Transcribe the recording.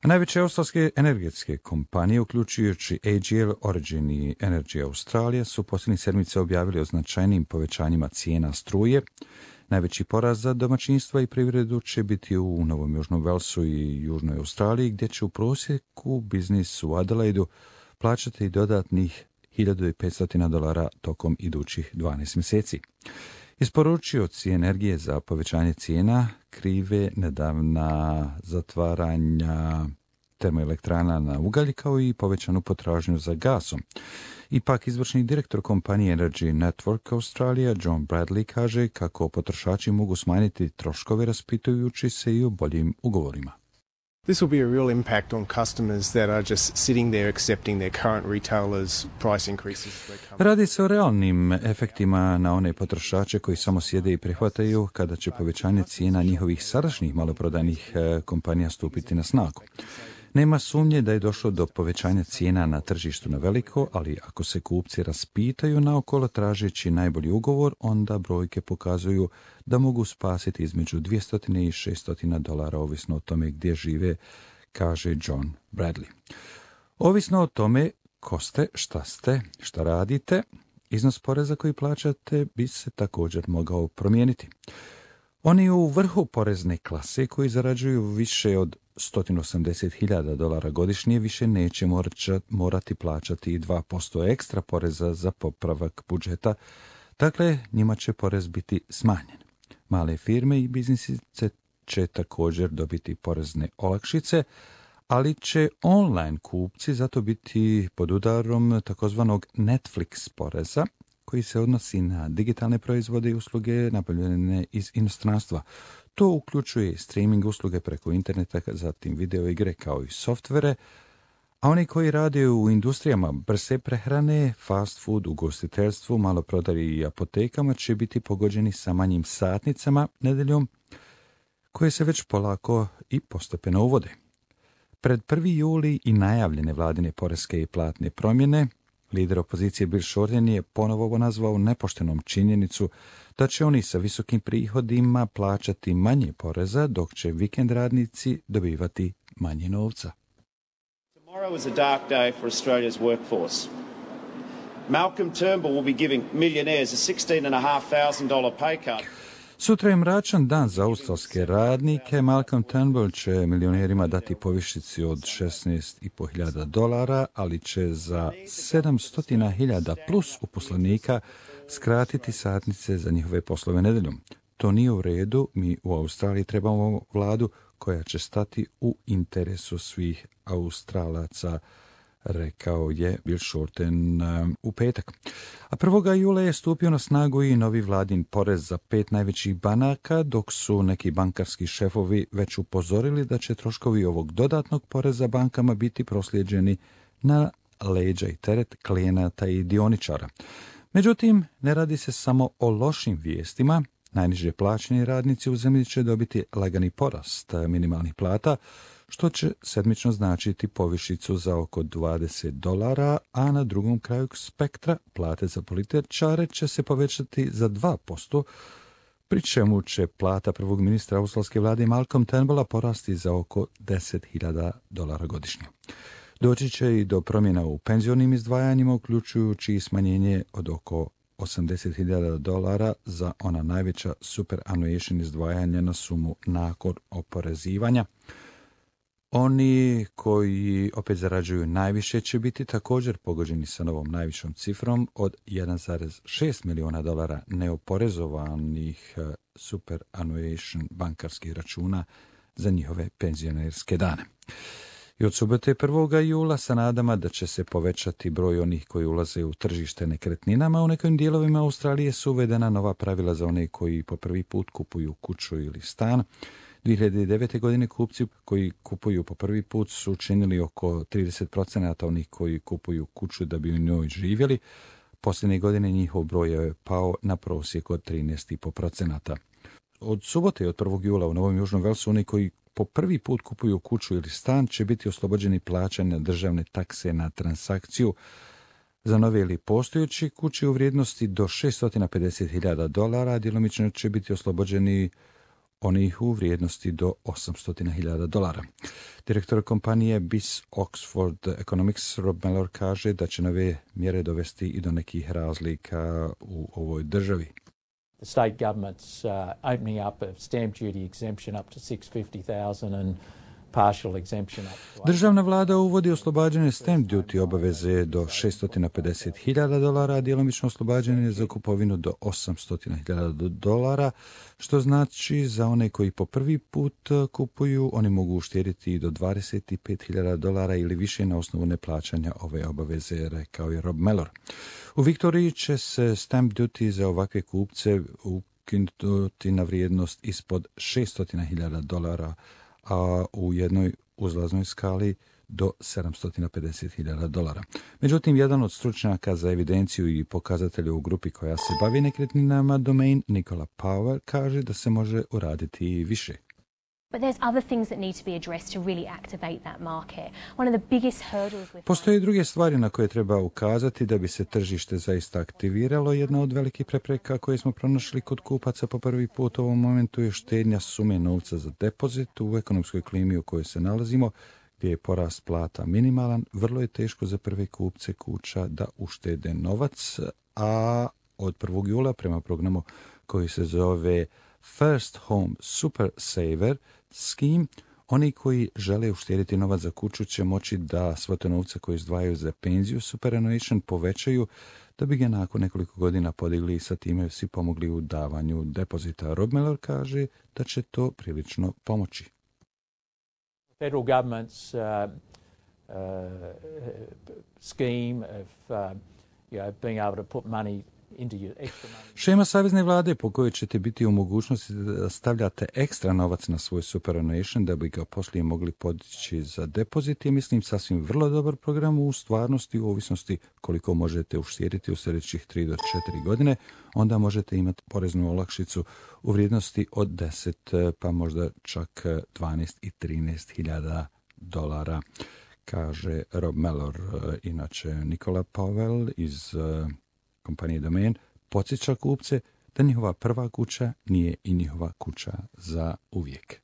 Najveće australske energetske kompanije, uključujući AGL, Origin i Energy Australia, su posljednjih sedmica objavili o značajnim povećanjima cijena struje. Najveći porast za domaćinstva i privredu će biti u Novom Južnom Velsu i Južnoj Australiji, gdje će u prosjeku biznis u Adelaidu plaćati dodatnih $1.500 tokom idućih 12 mjeseci. Isporučioci energije za povećanje cijena krive nedavna zatvaranja termoelektrana na ugalj kao i povećanu potražnju za gasom. Ipak izvršni direktor kompanije Energy Network Australia John Bradley kaže kako potrošači mogu smanjiti troškove raspitujući se i o boljim ugovorima. This will be a real impact on customers that are just sitting there accepting their current retailers' price increases. Radi se o realnim efektima na one potrošače koji samo sjede i prihvataju kada će povećanje cijena njihovih sadašnjih maloprodajnih kompanija stupiti na snagu. Nema sumnje da je došlo do povećanja cijena na tržištu na veliko, ali ako se kupci raspitaju naokolo tražeći najbolji ugovor, onda brojke pokazuju da mogu spasiti između $200 i $600 ovisno o tome gdje žive, kaže John Bradley. Ovisno o tome ko ste, šta radite, iznos poreza koji plaćate bi se također mogao promijeniti. Oni u vrhu porezne klase koji zarađuju više od $180,000 godišnje više neće morati plaćati i 2% ekstra poreza za popravak budžeta, dakle njima će porez biti smanjen. Male firme i biznisice će također dobiti porezne olakšice, ali će online kupci zato biti pod udarom takozvanog Netflix poreza, koji se odnosi na digitalne proizvode i usluge nabavljene iz inostranstva. To uključuje streaming usluge preko interneta, zatim video igre kao i softvere, a oni koji rade u industrijama brze prehrane, fast food, ugostiteljstvu, maloprodaji i apotekama će biti pogođeni sa manjim satnicama nedeljom, koje se već polako i postepeno uvode. Pred 1. juli i najavljene vladine poreske i platne promjene, lider opozicije Bill Shorten je ponovo nazvao nepoštenom činjenicu da će oni sa visokim prihodima plaćati manje poreza, dok će vikend radnici dobivati manje novca. Tomorrow is a dark day for Australia's workforce. Malcolm Turnbull will be giving millionaires a $16,500 pay cut. Sutra je mračan dan za australske radnike. Malcolm Turnbull će milionerima dati povišici od $16,500, ali će za 700,000 plus uposlenika skratiti satnice za njihove poslove nedeljom. To nije u redu, mi u Australiji trebamo vladu koja će stati u interesu svih Australaca, rekao je Bill Shorten u petak. A 1. jula je stupio na snagu i novi vladin porez za 5 najvećih banaka, dok su neki bankarski šefovi već upozorili da će troškovi ovog dodatnog poreza bankama biti proslijeđeni na leđa i teret klijenata i dioničara. Međutim, ne radi se samo o lošim vijestima. Najniže plaćeni radnici u zemlji će dobiti lagani porast minimalnih plata, što će sedmično značiti povišicu za oko $20, a na drugom kraju spektra plate za političare će se povećati za 2%, pri čemu će plata prvog ministra australske vlade Malcolm Turnbulla porasti za oko $10,000 godišnje. Doći će i do promjena u penzionim izdvajanjima, uključujući i smanjenje od oko $80,000 za ona najveća superannuation izdvajanja na sumu nakon oporezivanja. Oni koji opet zarađuju najviše će biti također pogođeni sa novom najvišom cifrom od $1,6 milijuna neoporezovanih superannuation bankarskih računa za njihove penzionerske dane. I od subote 1. jula sa nadama da će se povećati broj onih koji ulaze u tržište nekretninama, u nekim dijelovima Australije su uvedena nova pravila za one koji po prvi put kupuju kuću ili stan. 2009. godine kupci koji kupuju po prvi put su učinili oko 30% onih koji kupuju kuću da bi u njoj živjeli. Posljednje godine njihov broj je pao na prosjek od 13,5%. Od subote i od 1. jula u Novom Južnom Velsu oni koji po prvi put kupuju kuću ili stan će biti oslobođeni plaćanja državne takse na transakciju za nove ili postojeći kuće u vrijednosti do $650,000, djelomično će biti oslobođeni onih u vrijednosti do $800,000. Direktor kompanije BIS Oxford Economics Rob Mellor kaže da će nove mjere dovesti i do nekih razlika u ovoj državi. The state government's opening up of stamp duty exemption up to $650,000 and partial exemption up to Državna vlada uvodi oslobađanje stamp duty obaveze do $650,000, a djelomično oslobađanje za kupovinu do $800,000, što znači za one koji po prvi put kupuju, oni mogu uštedjeti i do $25,000 ili više na osnovu neplaćanja ove obaveze, rekao je Rob Mellor. U Viktoriji će se stamp duty za ovakve kupce ukinuti na vrijednost ispod $600,000, a u jednoj uzlaznoj skali do $750,000. Međutim, jedan od stručnjaka za evidenciju i pokazatelje u grupi koja se bavi nekretninama Domain, Nikola Powell, kaže da se može uraditi i više. But there's other things that need to be addressed to really activate that market. One of the biggest hurdles with Postoje druge stvari na koje treba ukazati da bi se tržište zaista aktiviralo. Jedna od velikih prepreka koje smo pronašli kod kupaca po prvi put u ovom momentu je štednja sume novca za depozit. U ekonomskoj klimi u kojoj se nalazimo, gdje je porast plata minimalan, vrlo je teško za prve kupce kuća da uštede novac, a od 1. jula prema programu koji se zove First Home Super Saver Scheme, oni koji žele uštedjeti novac za kuću će moći da svote novca koje izdvajaju za penziju superannuation povećaju da bi ga nakon nekoliko godina podigli i sa time svi pomogli u davanju depozita. Rob Mellor kaže da će to prilično pomoći. federal government's scheme of being able to put money into your extra money. Šema savezne vlade po kojoj ćete biti u mogućnosti da stavljate ekstra novac na svoj superannuation da bi ga poslije mogli podići za depozit je, mislim, sasvim vrlo dobar program u stvarnosti, u ovisnosti koliko možete uštedjeti u sljedećih 3 do 4 godine, onda možete imati poreznu olakšicu u vrijednosti od 10 pa možda čak 12 i 13,000 $, kaže Rob Mellor. Inače, Nikola Powell iz kompanije Domain podsjeća kupce da njihova prva kuća nije i njihova kuća za uvijek.